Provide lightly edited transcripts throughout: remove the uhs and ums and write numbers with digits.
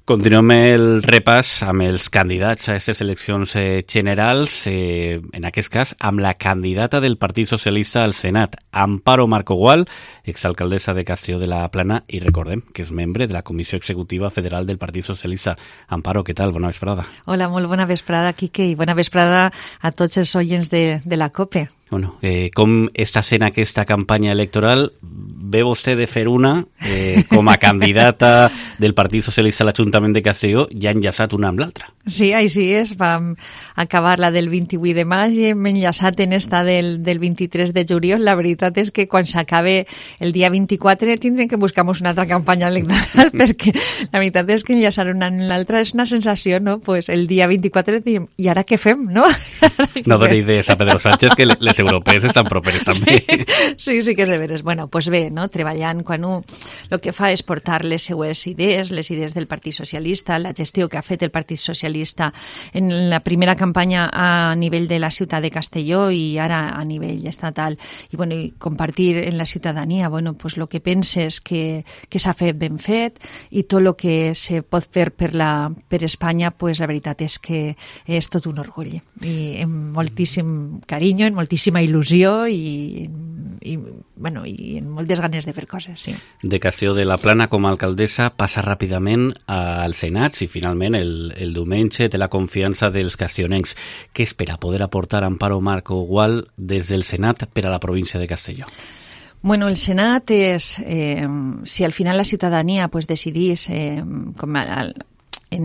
Continuem el repàs amb els candidats a aquestes eleccions generals, en aquest cas amb la candidata del Partit Socialista al Senat, Amparo Marco Gual, exalcaldessa de Castelló de la Plana, i recordem que és membre de la Comissió Executiva Federal del Partit Socialista. Amparo, què tal? Bona vesprada. Hola, molt bona vesprada, Quique, i bona vesprada a tots els oients de la COPE. Bueno, com està sent aquesta campanya electoral? Ve vostè de fer una com a candidata del Partit Socialista a l'Ajuntament de Castelló i ha enllaçat una amb l'altra. Sí, així és. Vam acabar la del 28 de maig i hem enllaçat en esta del 23 de juliol. La veritat és que quan s'acabe el dia 24 tindrem que buscar-nos una altra campanya electoral perquè la veritat és que enllaçar una amb l'altra és una sensació, no? Pues el dia 24 diem, i ara què fem, no? No doni idees a Pedro Sánchez, que les europees estan properes també. Sí, que és de veres. Bueno, pues bé, no? Treballant quan el que fa és portar les seues idees, les idees del Partit Socialista, la gestió que ha fet el Partit Socialista en la primera campanya a nivell de la ciutat de Castelló i ara a nivell estatal, i, bueno, i compartir en la ciutadania, bueno, pues lo que penses que s'ha fet ben fet i tot el que se pot fer per Espanya, pues la veritat és que és tot un orgull i amb moltíssim carinyo, amb moltíssima il·lusió i amb moltes ganes de fer coses, sí. De Castelló de la Plana com a alcaldessa passa ràpidament al Senat i finalment el diumenge té la confiança dels castellonencs. Què espera poder aportar Amparo Marco Gual des del Senat per a la província de Castelló? Bueno, el Senat és, si al final la ciutadania pues, decidís, en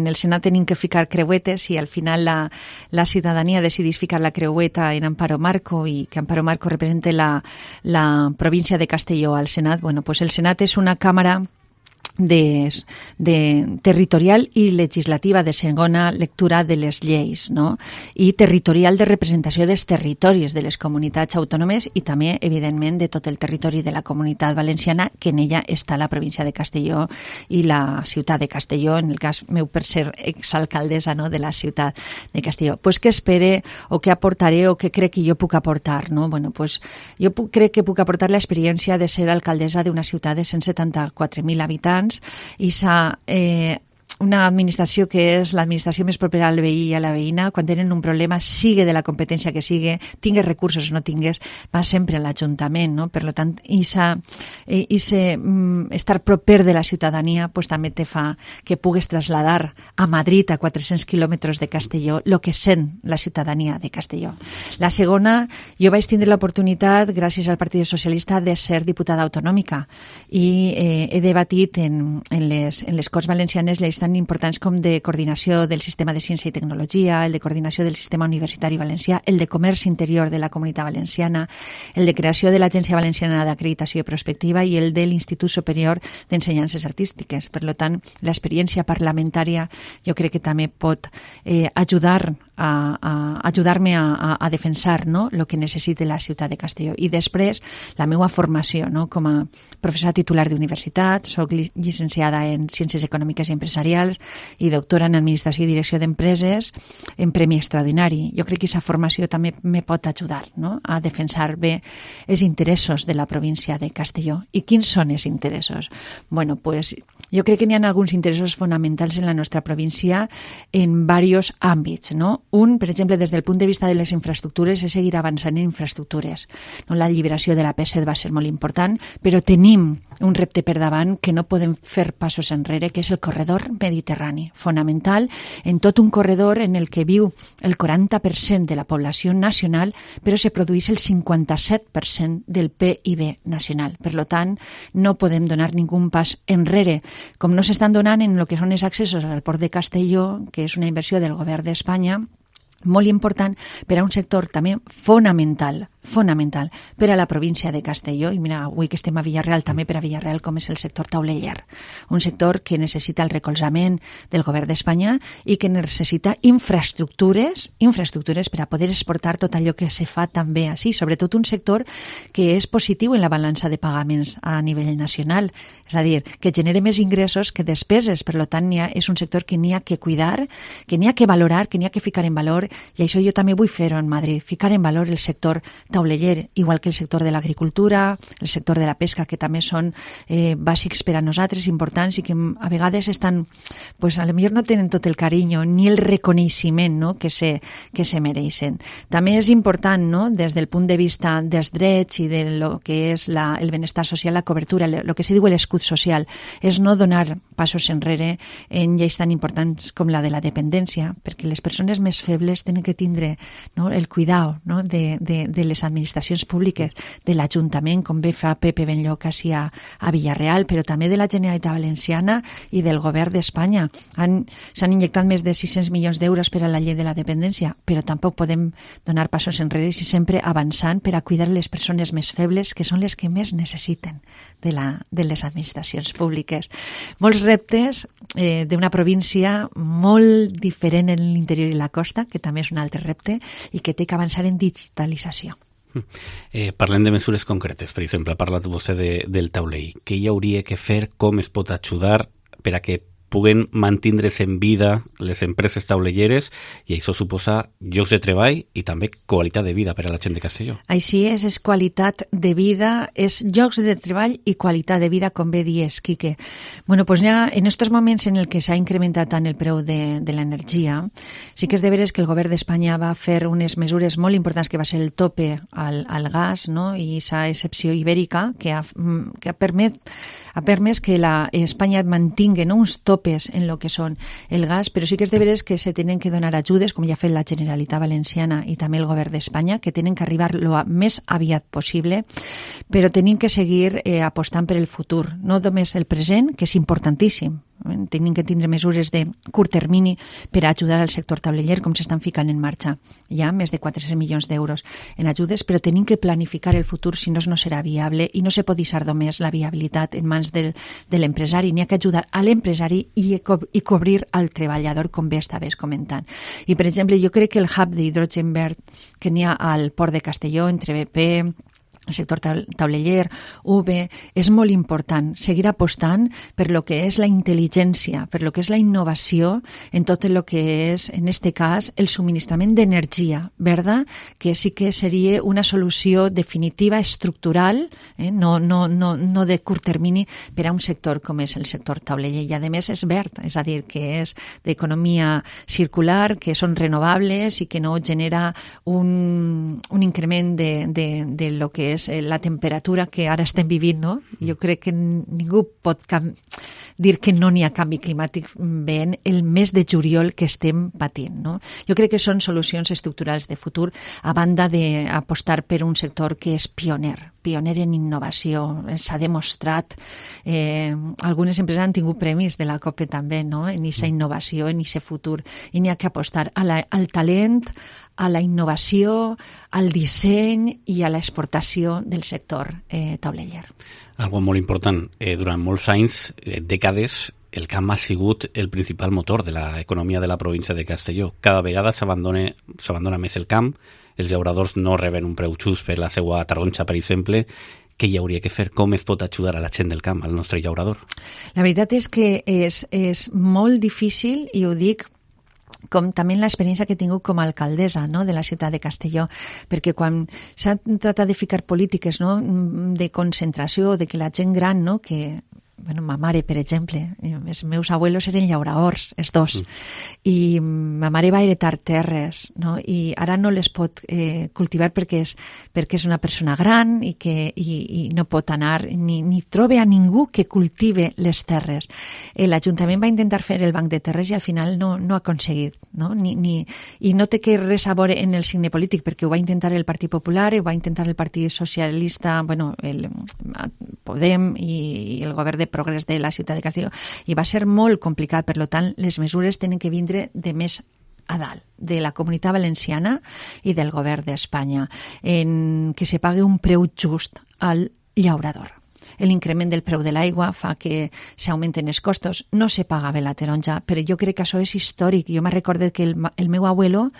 el Senat tenim que ficar creuetes i al final la ciutadania decidís ficar la creueta en Amparo Marco i que Amparo Marco represente la província de Castelló al Senat. Bueno, pues el Senat és una càmera de territorial i legislativa de segona lectura de les lleis, no? I territorial de representació dels territoris de les comunitats autònomes i també, evidentment, de tot el territori de la Comunitat Valenciana, que en ella està la província de Castelló i la ciutat de Castelló, en el cas meu per ser exalcaldessa, no?, de la ciutat de Castelló. Pues què espere o què aportaré o què crec que jo puc aportar, no? Bueno, pues jo crec que puc aportar l'experiència de ser alcaldessa d'una ciutat de 174.000 habitants i una administració que és l'administració més propera al veí i a la veïna. Quan tenen un problema, sigue de la competència que sigue, tingues recursos o no tingues, va sempre a l'Ajuntament, no? Per tant, estar proper de la ciutadania pues, també te fa que pugues trasladar a Madrid, a 400 quilòmetres de Castelló, el que sent la ciutadania de Castelló. La segona, jo vaig tindre l'oportunitat, gràcies al Partit Socialista, de ser diputada autonòmica i he debatit en les Corts Valencianes lleis tan importants com de coordinació del sistema de ciència i tecnologia, el de coordinació del sistema universitari valencià, el de comerç interior de la Comunitat Valenciana, el de creació de l'Agència Valenciana d'Acreditació i Prospectiva i el de l'Institut Superior d'Ensenyances Artístiques. Per tant, l'experiència parlamentària jo crec que també pot ajudar-me a defensar, no?, el que necessita la ciutat de Castelló. I després, la meva formació, no?, com a professora titular d'universitat, soc llicenciada en Ciències Econòmiques i Empresarials i doctora en Administració i Direcció d'Empreses en Premi Extraordinari. Jo crec que aquesta formació també me pot ajudar, no?, a defensar bé els interessos de la província de Castelló. I quins són els interessos? Bueno, pues jo crec que n'hi ha alguns interessos fonamentals en la nostra província en diversos àmbits, no? Un, per exemple, des del punt de vista de les infraestructures, és seguir avançant en infraestructures. No? La alliberació de la P7 va ser molt important, però tenim un repte per davant que no podem fer passos enrere, que és el corredor mediterrani, fonamental en tot un corredor en el que viu el 40% de la població nacional, però se produeix el 57% del PIB nacional. Per tant, no podem donar ningú pas enrere, com no s'estan donant en el que són els accessos al port de Castelló, que és una inversió del govern d'Espanya, molt important per a un sector també fonamental per a la província de Castelló, i mira, avui que estem a Villarreal, també per a Villarreal, com és el sector tauleller, un sector que necessita el recolzament del govern d'Espanya i que necessita infraestructures per a poder exportar tot allò que se fa també així, sobretot un sector que és positiu en la balança de pagaments a nivell nacional, és a dir, que genera més ingressos que despeses, per tant és un sector que n'hi ha que cuidar, que n'hi ha que valorar, que n'hi ha que ficar en valor i això jo també vull fer-ho en Madrid, ficar en valor el sector tauleller, igual que el sector de l'agricultura, el sector de la pesca, que també són bàsics per a nosaltres, importants, i que a vegades estan, pues a lo millor no tenen tot el carinyo ni el reconeixement, no?, que se mereixen. També és important, no?, des del punt de vista dels drets i de lo que és el benestar social, la cobertura, el que se diu l'escut social, és no donar passos enrere en lleis tan importants com la de la dependència, perquè les persones més febles tenen que tindre, no?, el cuidado, no?, de les administracions públiques, de l'Ajuntament, com bé fa Pepe Benlloc així a Villarreal, però també de la Generalitat Valenciana i del Govern d'Espanya. S'han injectat més de 600 milions d'euros per a la llei de la dependència, però tampoc podem donar passos enrere i sempre avançant per a cuidar les persones més febles, que són les que més necessiten de les administracions públiques. Molts reptes d'una província molt diferent en l'interior i la costa, que també és un altre repte, i que té que avançar en digitalització. Parlem de mesures concretes. Per exemple, ha parlat vostè del taulell. Què hi hauria que fer, com es pot ajudar per a que puguen mantindre's en vida les empreses taulelleres, i això suposa llocs de treball i també qualitat de vida per a la gent de Castelló. Així és qualitat de vida, és llocs de treball i qualitat de vida, com bé dies, Quique. Bueno, pues ja en aquests moments en el que s'ha incrementat tant el preu de l'energia, sí que és de veres que el govern d'Espanya va fer unes mesures molt importants, que va ser el tope al gas, no?, i aquesta excepció ibèrica que ha permès que Espanya mantingui, no?, uns topes en lo que són el gas, però sí que és de veres que se tenen que donar ajudes, com ja ha fet la Generalitat Valenciana i també el Govern d'Espanya, que tenen que arribar lo més aviat possible, però tenim que seguir apostant per el futur, no només el present, que és importantíssim. Tenim que tindre mesures de curt termini per ajudar al sector tauleller, com s'estan ficant en marxa. Hi ha més de 400 milions d'euros en ajudes, però tenim que planificar el futur, si no serà viable, i no se pot deixar només la viabilitat en mans de l'empresari. N'hi ha que ajudar a l'empresari i cobrir al treballador, com bé estaves comentant. I, per exemple, jo crec que el hub d'hidrogen verd que n'hi ha al Port de Castelló, entre BP, el sector tauleller, UV, és molt important seguir apostant per lo que és la intel·ligència, per lo que és la innovació en tot el que és, en este cas, el subministrament d'energia verda, que sí que seria una solució definitiva, estructural, no de curt termini, per a un sector com és el sector tauleller. I, a més, és verd, és a dir, que és d'economia circular, que són renovables i que no genera un increment de lo que és la temperatura que ara estem vivint, no? Jo crec que ningú pot dir que no n'hi ha canvi climàtic veient el mes de juliol que estem patint, no? Jo crec que són solucions estructurals de futur, a banda d'apostar per un sector que és pioner en innovació. S'ha demostrat, algunes empreses han tingut premis de la COPE també, no?, en aquesta innovació, en aquest futur, i n'hi ha que apostar al talent, a la innovació, al disseny i a l'exportació del sector tauleller. Algo molt important, durant molts anys, dècades, el camp ha sigut el principal motor de l'economia de la província de Castelló. Cada vegada s'abandona més el camp, els llauradors no reben un preu just per la seva taronja, per exemple. Què hi hauria que fer? Com es pot ajudar a la gent del camp, al nostre llaurador? La veritat és que és molt difícil, i ho dic com també l'experiència que he tingut com a alcaldessa, no?, de la ciutat de Castelló, perquè quan s'ha tratat de ficar polítiques, no?, de concentració, de que la gent gran, no?, que ma mare, per exemple, els meus abuelos eren llauradors, els dos, i ma mare va heretar terres, no?, i ara no les pot cultivar perquè és una persona gran i no pot anar, ni troba a ningú que cultive les terres. L'Ajuntament va intentar fer el banc de terres i al final no ha aconseguit, no? I no té que res a veure en el signe polític, perquè ho va intentar el Partit Popular, ho va intentar el Partit Socialista, el Podem i el govern de Progrés de la ciutat de Castelló, i va ser molt complicat. Per tant, les mesures tenen que vindre de més a dalt, de la Comunitat Valenciana i del Govern d'Espanya, en que se pagui un preu just al llaurador. l'increment del preu de l'aigua fa que s'augmenten els costos. No se paga bé la taronja, però jo crec que això és històric. Jo me recordo que el meu abuelo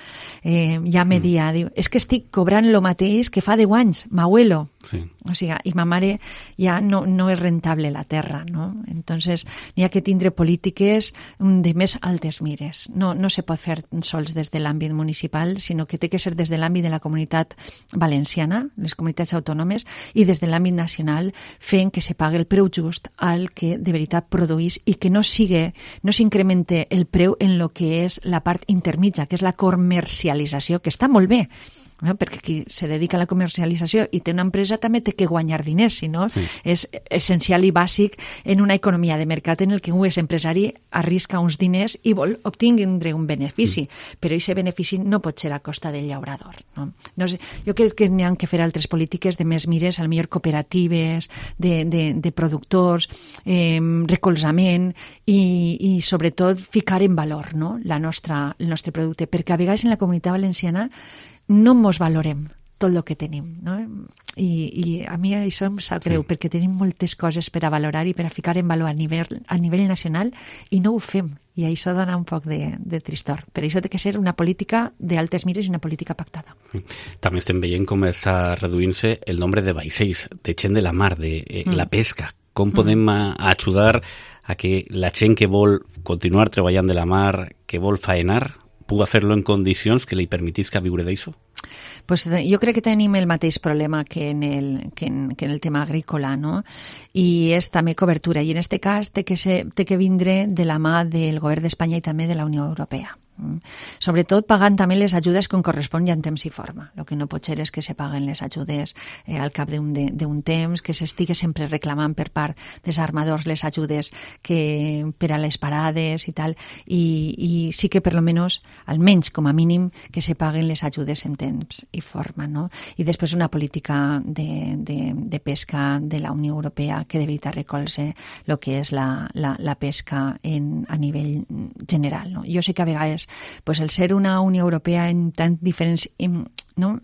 ja me dia, diu, és que estic cobrant lo mateix que fa 10 anys, m'abuelo. Sí. O sigui, i ma mare ja no és rentable la terra, no? Entonces, n'hi ha que tindre polítiques de més altes mires. No se pot fer sols des de l'àmbit municipal, sinó que té que ser des de l'àmbit de la comunitat valenciana, les comunitats autònomes, i des de l'àmbit nacional, fent que se pague el preu just al que de veritat produís i que no s'incremente el preu en lo que és la part intermitja, que és la comercialització, que està molt bé, no? Perquè qui se dedica a la comercialització i té una empresa també té que guanyar diners, si no és essencial i bàsic en una economia de mercat en el que un és empresari arrisca uns diners i vol obtindre un benefici, però aquest benefici no pot ser a costa del llaurador, no? No sé, jo crec que n'hi ha que fer altres polítiques de més mires, al millor cooperatives, de productors, recolzament i sobretot ficar en valor, no? el nostre producte, perquè a vegades en la comunitat valenciana no mos valorem tot el que tenim, no? I a mi això em sap greu, perquè tenim moltes coses per a valorar i per a ficar en valor a nivell nacional i no ho fem, i això dona un poc de tristor. Per això té que ser una política d'altes mires i una política pactada. També estem veient com està reduint-se el nombre de vaixells, de gent de la mar, de la pesca. Com podem ajudar a que la gent que vol continuar treballant de la mar, que vol faenar, puga fer-lo en condicions que li permetisca viure d'això? Pues jo crec que tenim el mateix problema que en el tema agrícola, no? I és també cobertura. I en aquest cas té que vindre de la mà del govern d'Espanya i també de la Unió Europea. Sobretot pagant també les ajudes com correspon i en temps i forma. El que no pot ser és que se paguen les ajudes al cap d'un temps, que s'estigui sempre reclamant per part dels armadors les ajudes per a les parades i tal, i sí que per lo menos, almenys com a mínim, que se paguen les ajudes en temps i forma, no? I després una política de pesca de la Unió Europea que de veritat recolze el que és la pesca a nivell general, no? Jo sé que a vegades pues el ser una Unió Europea en tant diferents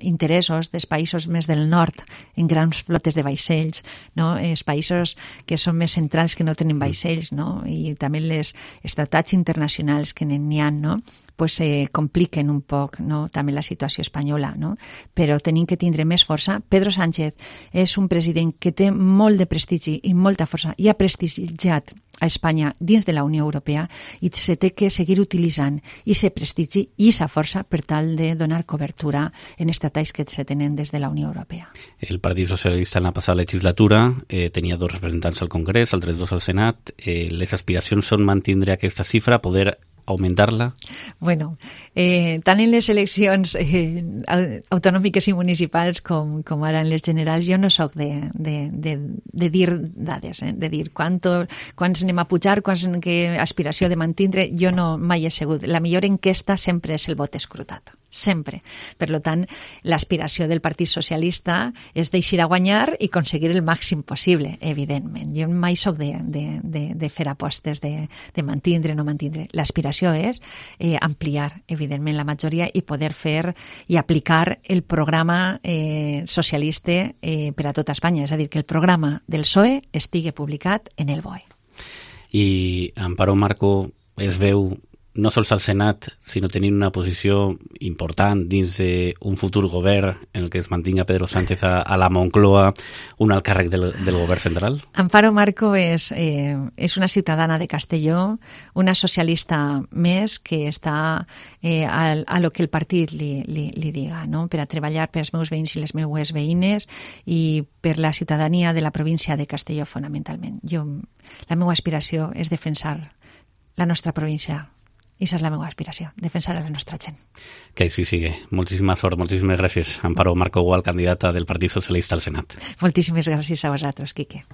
interessos dels països més del nord, en grans flotes de vaixells, no? Els països que són més centrals que no tenen vaixells, no? I també els tractats internacionals que n'hi ha, no? Pues compliquen un poc, no? També la situació espanyola, no? Però tenim que tindre més força. Pedro Sánchez és un president que té molt de prestigi i molta força i ha prestigiat a Espanya dins de la Unió Europea i se té que seguir utilitzant aquest prestigi i aquesta força per tal de donar cobertura en estratègies que se tenen des de la Unió Europea. El Partit Socialista en la passada legislatura tenia 2 representants al Congrés, altres 2 al Senat. Les aspiracions són mantindre aquesta xifra, poder augmentar-la? Bueno, tant en les eleccions autonòmiques i municipals com ara en les generals, jo no sóc de dir dades, de dir quants anem a pujar, que aspiració de mantindre, jo no mai he sigut. La millor enquesta sempre és el vot escrutat. Sempre. Per tant, l'aspiració del Partit Socialista és d'eixir a guanyar i aconseguir el màxim possible, evidentment. Jo mai soc de fer apostes de mantindre o no mantindre. L'aspiració és ampliar, evidentment, la majoria i poder fer i aplicar el programa socialista per a tota Espanya. És a dir, que el programa del PSOE estigui publicat en el BOE. I Amparo Marco es veu no sols al Senat, sinó tenint una posició important dins d'un futur govern en el que es mantinga Pedro Sánchez a la Moncloa, un alt càrrec del govern central? Amparo Marco és una ciutadana de Castelló, una socialista més que està a lo que el partit li diga, no? Per a treballar per als meus veïns i les meues veïnes i per la ciutadania de la província de Castelló, fonamentalment. La meva aspiració és defensar la nostra província. I això és la meva aspiració, defensar a la nostra gent. Que així sigui. Moltíssima sort, moltíssimes gràcies. Amparo Marco Gual, candidata del Partit Socialista al Senat. Moltíssimes gràcies a vosaltres, Quique.